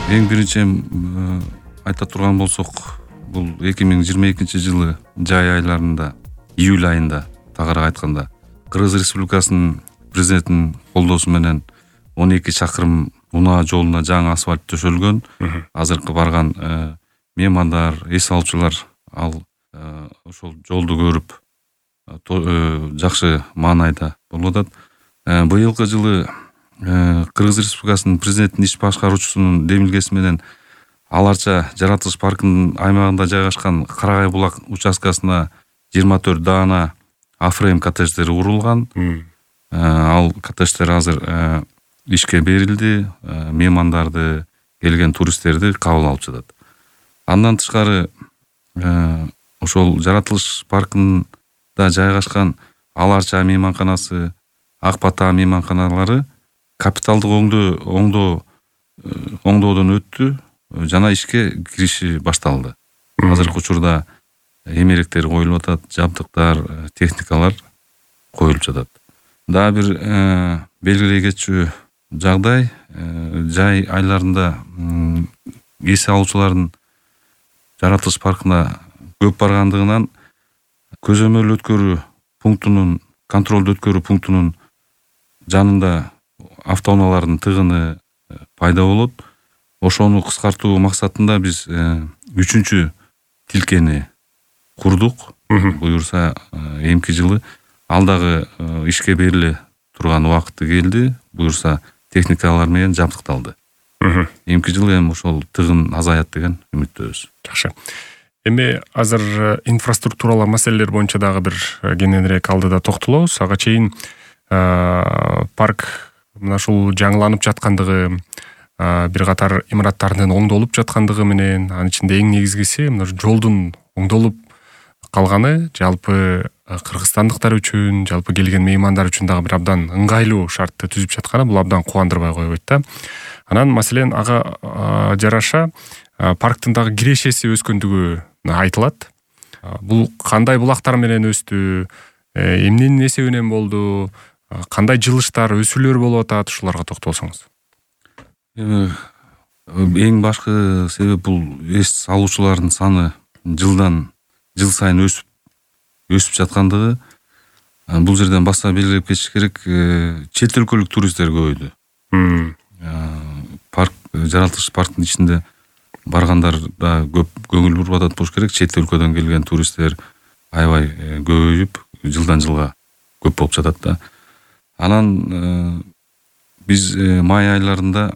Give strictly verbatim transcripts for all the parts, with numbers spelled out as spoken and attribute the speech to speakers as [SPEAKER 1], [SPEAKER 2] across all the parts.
[SPEAKER 1] Эң биринчи айта турган болсок, бул эки миң жыйырма экинчи жылы жай айларында, июль айында тагыраак айтканда, Кыргыз Республикасынын президентинин колдоосу менен он эки чакырым унаа жолуна жаңы асфальт төшөлгөн. Азыркы барган меймандар, эс алуучулар ал ошол жолду көрүп жакшы маанайда болуп атат. Быйылкы жылы Кыргыз Республикасынын президенттин иш башкаруучусунун демилгеси менен Ал Арча жаратылыш паркынын аймагында жайгашкан Карагай булак участкасына жыйырма төрт даана Афрейм коттедждери курулган. Ал коттедждер азыр ишке берилди, меймандарды, келген туристтерди кабыл алып жатат. Андан тышкары ошол жаратылыш паркында жайгашкан Ал Арча мейманканасы, Ак Бата мейманканалары капиталдык оңдоо оңдоо оңдоодон өттү жана ишке кириши башталды. Азыркы учурда эмеректер коюлуп атат, жабдыктар, техникалар коюлуп жатат. Дагы бир белгилей кетчү жагдай, жай айларында эс алуучулардын жаратылыш паркына көп баргандыгынан көзөмөл өткөрүү пунктунун, контролдуу өткөрүү пунктунун жанында автоунаалардын тыгыны пайда болот. Ошону кыскартуу максатында биз үчүнчү тилкени курдук. Буюрса эмки жылы ал дагы ишке бериле турган убакыты келди. Буюрса техникалар менен жабдыкталды. Эмки жылы эми ошол тыгын азаят деген үмүттөбүз.
[SPEAKER 2] Жакшы. Эми азыр инфраструктуралык маселелер боюнча дагы бир кененирээк алдыда токтолобуз. Ага чейин парк мына ушул жаңыланып жаткандыгы, бир катар имараттардын оңдолуп жаткандыгы менен, анын ичинде эң негизгиси мына жолдун оңдолуп калганы жалпы кыргызстандыктар үчүн, жалпы келген меймандар үчүн дагы бир абдан ыңгайлуу шартты түзүп жатканы бул абдан кубандырбай койбойт да. Анан маселен ага жараша парктын дагы кирешеси өскөндүгү айтылат. Бул кандай булактар менен өстү, эмненин эсебинен болду, кандай жылыштар, өсүүлөр болуп атат, ушуларга токтолсоңуз.
[SPEAKER 1] Эң башкы себеп бул эс алуучулардын саны жылдан жыл сайын өсүп өсүп жаткандыгы. Бул жерден баса белгилеп кетиш керек, чет өлкөлүк туристтер көбөйдү. Парк, жаратылыш парктын ичинде баргандар да көп көңүл буруп атат болуш керек. Чет өлкөдөн келген туристтер аябай көбөйүп, жылдан жылга көп болуп жатат да. Анан биз май айларында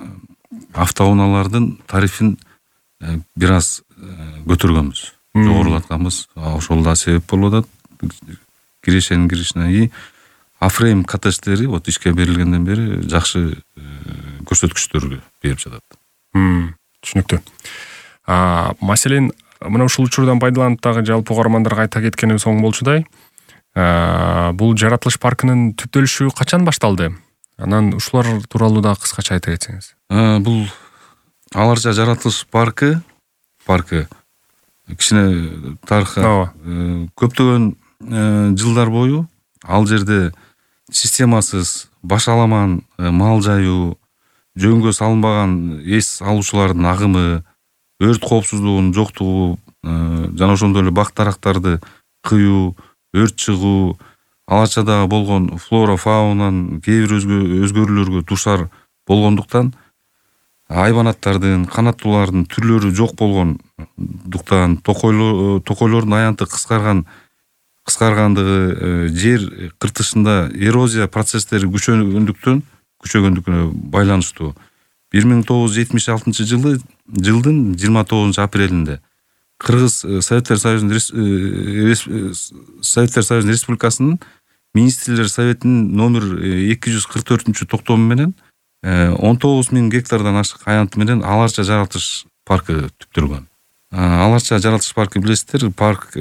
[SPEAKER 1] автоунаалардын тарифин бир аз көтөргөнбүз, жогорулатканбыз. Ошол да себеп болуп атат. Кирешенин киришине и Афрейм коттедждери вот ишке берилгенден бери жакшы көрсөткүчтөргө берип жатат.
[SPEAKER 2] Түшүнүктүү. Маселен, мына ушул учурдан пайдаланып дагы жалпы угармандарга айта кеткенибиз оң болчудай. Бул жаратылыш паркынын түптөлүшү качан башталды? Анан ушулар тууралуу да кыскача айта кетсеңиз.
[SPEAKER 1] Бул Ал Арча жаратылыш паркы паркы кичине тарыхка көптөгөн жылдар бою ал жерде системасыз, башаламан мал жайуу, жөнгө салынбаган эс алуучулардын агымы, өрт коопсуздугунун жоктугу, жана ошондой эле бак дарактарды кыюу, өрт чыгуу, Ал Арчадагы болгон флора, фаунанын кээ бир өзгөрүүлөргө дуушар болгондуктан айбанаттардын, канаттуулардын түрлөрү жок болгондуктан, токойлордун аянты кыскарган кыскаргандыгы, жер кыртышында эрозия процесстери күчөгөндүктөн күчөгөндүгүнө байланыштуу. бир миң тогуз жүз жетимиш алтынчы жылы жылдын жыйырма тогузунчу апрелинде Кыргыз Советтер Союзунун Советтер Союзунун Республикасынын Министрлер Советинин номер эки жүз кырк төртүнчү токтому менен он тогуз миң гектардан ашык аянты менен Ал Арча жаратылыш паркы түптөлгөн. Ал Арча жаратылыш паркы билесиздер, парк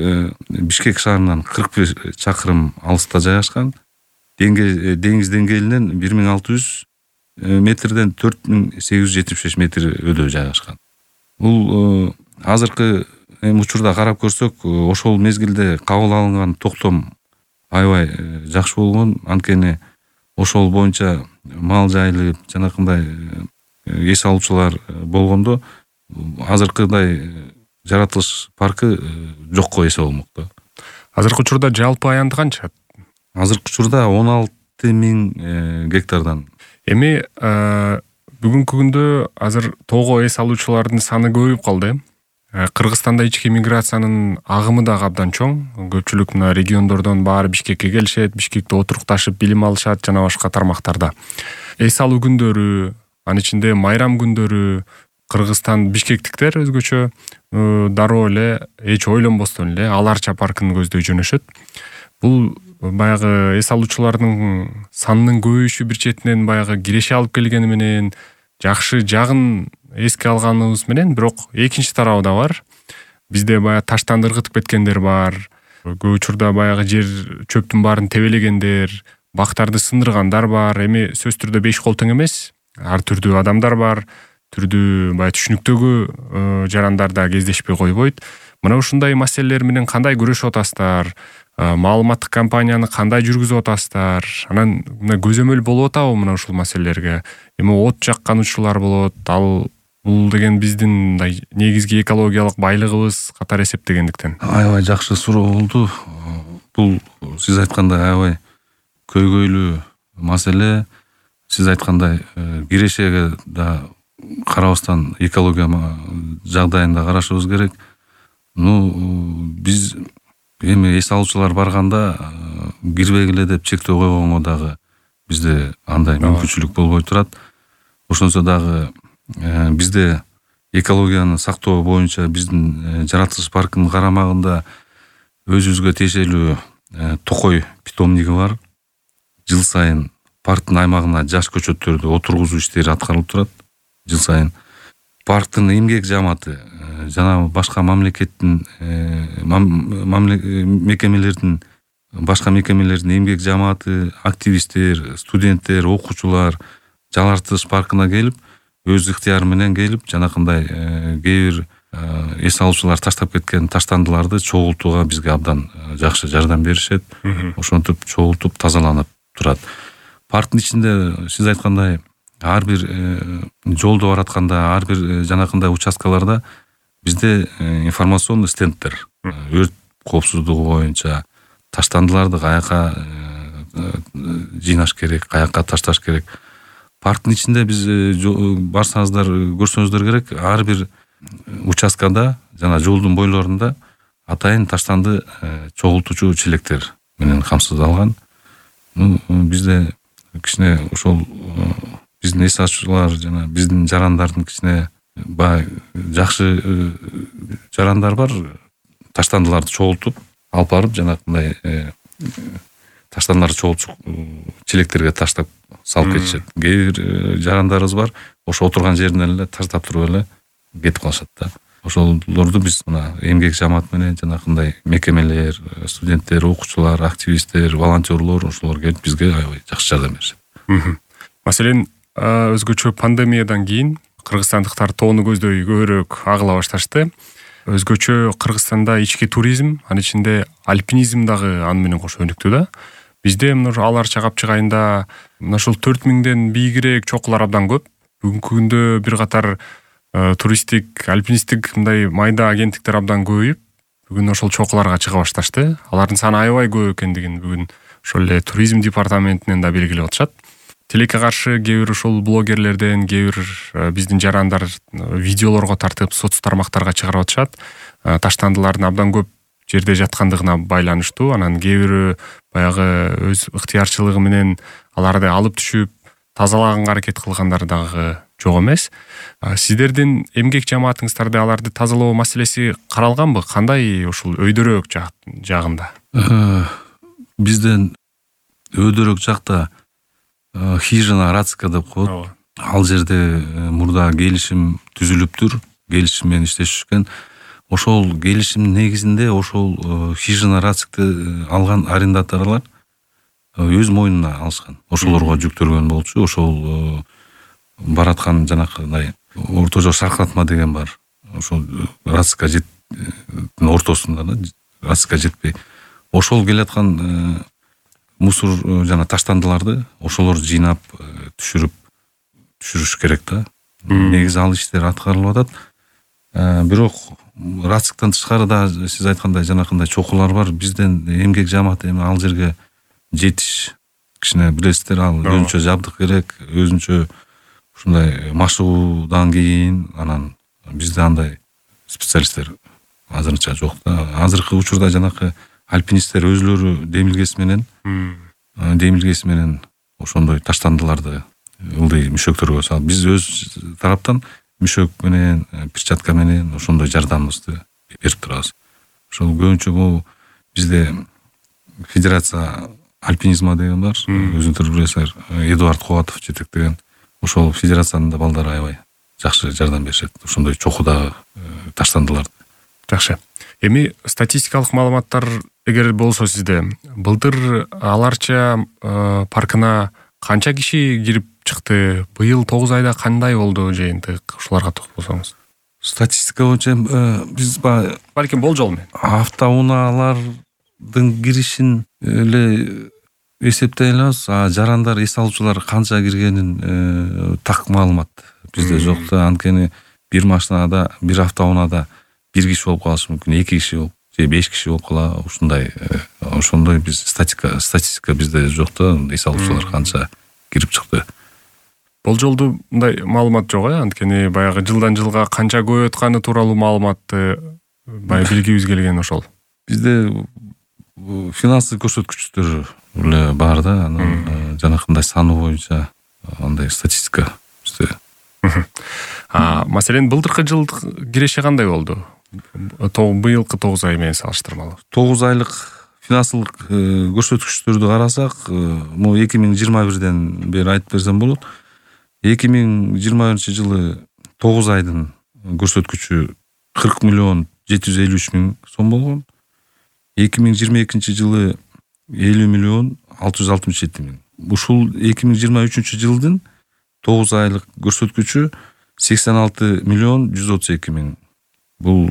[SPEAKER 1] Бишкек шаарынан кырк бир чакырым алыста жайгашкан. Деңиз деңгээлинен бир миң алты жүз метрден төрт миң сегиз жүз жетимиш беш метр өдө жайгашкан. Бул азыркы учурда карап көрсөк, ошол мезгилде кабыл алынган токтом аябай жакшы болгон. Анткени ошол боюнча мал жайылып, жанакындай эс алуучулар болгондо азыркыдай жаратылыш паркы жокко эсе болмок да.
[SPEAKER 2] Азыркы учурда жалпы аянты канча?
[SPEAKER 1] Азыркы учурда он алты миң гектардан.
[SPEAKER 2] Эми бүгүнкү күндө азыр тоого эс алуучулардын саны көбөйүп калды. Кыргызстанда ички миграциянын агымы да абдан чоң. Көпчүлүк мына региондордон баары Бишкекке келишет, Бишкекте отурукташып билим алышат жана башка тармактарда. Эс алуу күндөрү, анын ичинде майрам күндөрү Кыргызстан бишкектиктер өзгөчө дароо эле эч ойлонбостон эле аларча паркын көздөй жөнөшөт. Бул баягы эс алуучулардын санынын көбөйүшү бир четинен баягы киреше алып келгени менен жакшы жагын эске алганыбыз менен, бирок экинчи тарабы да бар. Бизде баягы таштанды ыргытып кеткендер бар. Көп учурда баягы жер чөптүн баарын тебелегендер, бактарды сындыргандар бар. Эми сөзсүз түрдө беш кол тең эмес. Ар түрдүү адамдар бар. Түрдүү баягы түшүнүктөгү жарандар да кездешпей койбойт. Мына ушундай маселелер менен кандай күрөшүп атасыздар? Маалыматтык кампанияны кандай жүргүзүп атасыздар? Анан мына көзөмөл болуп атабы мына ушул маселелерге? Эми от жаккануучулар болот. Ал бул деген биздин мындай негизги экологиялык байлыгыбыз катары эсептегендиктен.
[SPEAKER 1] Аябай жакшы суроо болду. Бул сиз айткандай аябай көйгөйлүү маселе. Сиз айткандай кирешеге да карабастан экология жагдайында карашыбыз керек. Ну, биз эми эс алуучулар барганда кирбегиле деп чектөө койгонго дагы бизде андай мүмкүнчүлүк болбой турат. Ошонсо дагы бизде экологияны сактоо боюнча биздин жаратылыш паркынын карамагында өзүбүзгө тиешелүү Токой питомниги бар. Жыл сайын парктын аймагына жаш көчөттөрдү отургузуу иштери аткарылып турат. Жыл сайын парктын эмгек жамааты жана башка мамлекеттин мекемелердин башка мекемелердин эмгек жамааты, активисттер, студенттер, окуучулар жаратылыш паркына келип, өз ыктыяры менен келип, жанакындай кээ бир эс алуучулар таштап кеткен таштандыларды чогултууга бизге абдан жакшы жардам беришет. Ошентип чогултуп тазаланып турат. Парктын ичинде сиз айткандай ар бир жолдо баратканда, ар бир жанакындай участкаларда бизде информационный стендтер, өрт коопсуздугу боюнча таштандыларды каяка жыйнаш керек, каяка ташташ керек. Парктын ичинде биз барсаңыздар көрсөңүздөр керек, ар бир участкада жана жолдун бойлорунда атайын таштанды чогултуучу челектер менен камсыздалган. Ну, бизде кичине ошол биздин эс алуучулар жана биздин жарандардын кичине бай жакшы жарандар бар. Таштандыларды чогултуп алып барып жанакындай таштандыларды чогултуп челектерге таштап салып кетишет. Кээ бир жарандарыбыз бар, ошо отурган жеринен эле таштап туруп эле кетип калышат да. Ошолорду биз мына эмгек жамаат менен жанакындай мекемелер, студенттер, окуучулар, активисттер, волонтерлор ошолор келип бизге аябай жакшы жардам беришет.
[SPEAKER 2] Маселен, өзгөчө пандемиядан кийин кыргызстандыктар тоону көздөй көбүрөөк агыла башташты. Өзгөчө Кыргызстанда ички туризм, анын ичинде альпинизм дагы аны менен кошо өнүктү да. Бизде мына аларча капчык айында мына ушул төрт миңден бийигирээк чокулар абдан көп. Бүгүнкү күндө бир катар туристтик, альпинисттик мындай майда агенттиктер абдан көбөйүп, бүгүн ошол чокуларга чыга башташты. Алардын саны аябай көп экендигин бүгүн ошол эле туризм департаментинен да белгилеп атышат. Тилекке каршы кээ бир ушул блогерлерден, кээ бир биздин жарандар видеолорго тартып соц тармактарга чыгарып атышат. Таштандылардын абдан көп жерде жаткандыгына байланыштуу. Анан кээ бири баягы өз ыктыярчылыгы менен аларды алып түшүп тазалаганга аракет кылгандар дагы жок эмес. Сиздердин эмгек жамаатыңыздарда аларды тазалоо маселеси каралганбы? Кандай ушул өйдөрөөк жагында?
[SPEAKER 1] Бизден өйдөрөөк жакта хижина Рацка деп коет. Ал жерде мурда келишим түзүлүптүр, келишим менен иштешишкен. Ошол келишимдин негизинде ошол хижина Рацкты алган арендаторлор өз мойнуна алышкан. Ошолорго жүктөлгөн болчу. Ошол бараткан жанакындай Орто жол шаркыратма деген бар. Ошол Рацка жеттин ортосунда да, Рацка жетпей. Ошол келаткан мусор жана таштандыларды ошолор жыйнап түшүрүп түшүрүш керек да. негизи ал иштер аткарылып атат. Бирок рациктан тышкары да сиз айткандай жанакындай чокулар бар. Бизден эмгек жамааты эми ал жерге жетиш кичине билесиздер, ал өзүнчө жабдык керек, өзүнчө ушундай машыгуудан кийин анан бизде андай специалисттер азырынча жок да. Азыркы учурда жанакы альпинисттер өзүлөрү демилгеси менен демилгеси менен ошондой таштандыларды ылдый мүшөктөргө салып, биз өз тараптан мүшөк менен, перчатка менен ошондой жардамыбызды берип турабыз. Ошол көбүнчө бул бизде федерация альпинизма деген бар, өзүңүздөр билесиздер, Эдуард Кубатов жетектеген. Ошол федерациянын да балдары аябай жакшы жардам беришет ошондой чокудагы таштандыларды.
[SPEAKER 2] Жакшы. Эми статистикалык маалыматтар эгер болсо сизде, былтыр Аларча паркына канча киши кирип чыкты? Быйыл тогуз айда кандай болду жыйынтык? Ушуларга токтолсоңуз.
[SPEAKER 1] Статистика боюнча биз
[SPEAKER 2] балким болжол менен
[SPEAKER 1] автоунаалардын киришин эле эсептей алабыз, а жарандар, эс алуучулар канча киргенин так маалымат бизде жок да. Анткени бир машинада, бир автоунада бир киши болуп калышы мүмкүн, эки киши болуп, же беш киши болуп кала. Ушундай ошондой биз статистика статистика бизде жок да, эс алуучулар канча кирип чыкты.
[SPEAKER 2] Болжолду мындай маалымат жок э, анткени баягы жылдан жылга канча көбөйүп атканы тууралуу маалыматты баягы билгибиз келген ошол.
[SPEAKER 1] Бизде финансы көрсөткүчтөр эле бар да, анан жанакындай саны боюнча андай статистика бизде.
[SPEAKER 2] А маселен былтыркы жыл киреше кандай болду? Быйылкы тогуз ай менен салыштырмалуу.
[SPEAKER 1] тогуз айлык финансылык көрсөткүчтөрдү карасак, могу эки миң жыйырма бирден бери айтып берсем болот. эки миң жыйырма биринчи жылы тогуз айдын көрсөткүчү кырк миллион жети жүз элүү үч миң сом болгон. эки миң жыйырма экинчи жылы элүү миллион алты жүз алтымыш жети миң. Ушул эки миң жыйырма үчүнчү жылдын тогуз айлык көрсөткүчү сексен алты миллион жүз отуз эки миң. Бул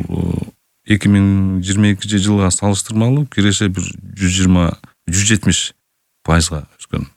[SPEAKER 1] эки миң жыйырма экинчи жылга салыштырмалуу киреше бир жүз жыйырма жүз жетимиш пайызга өскөн.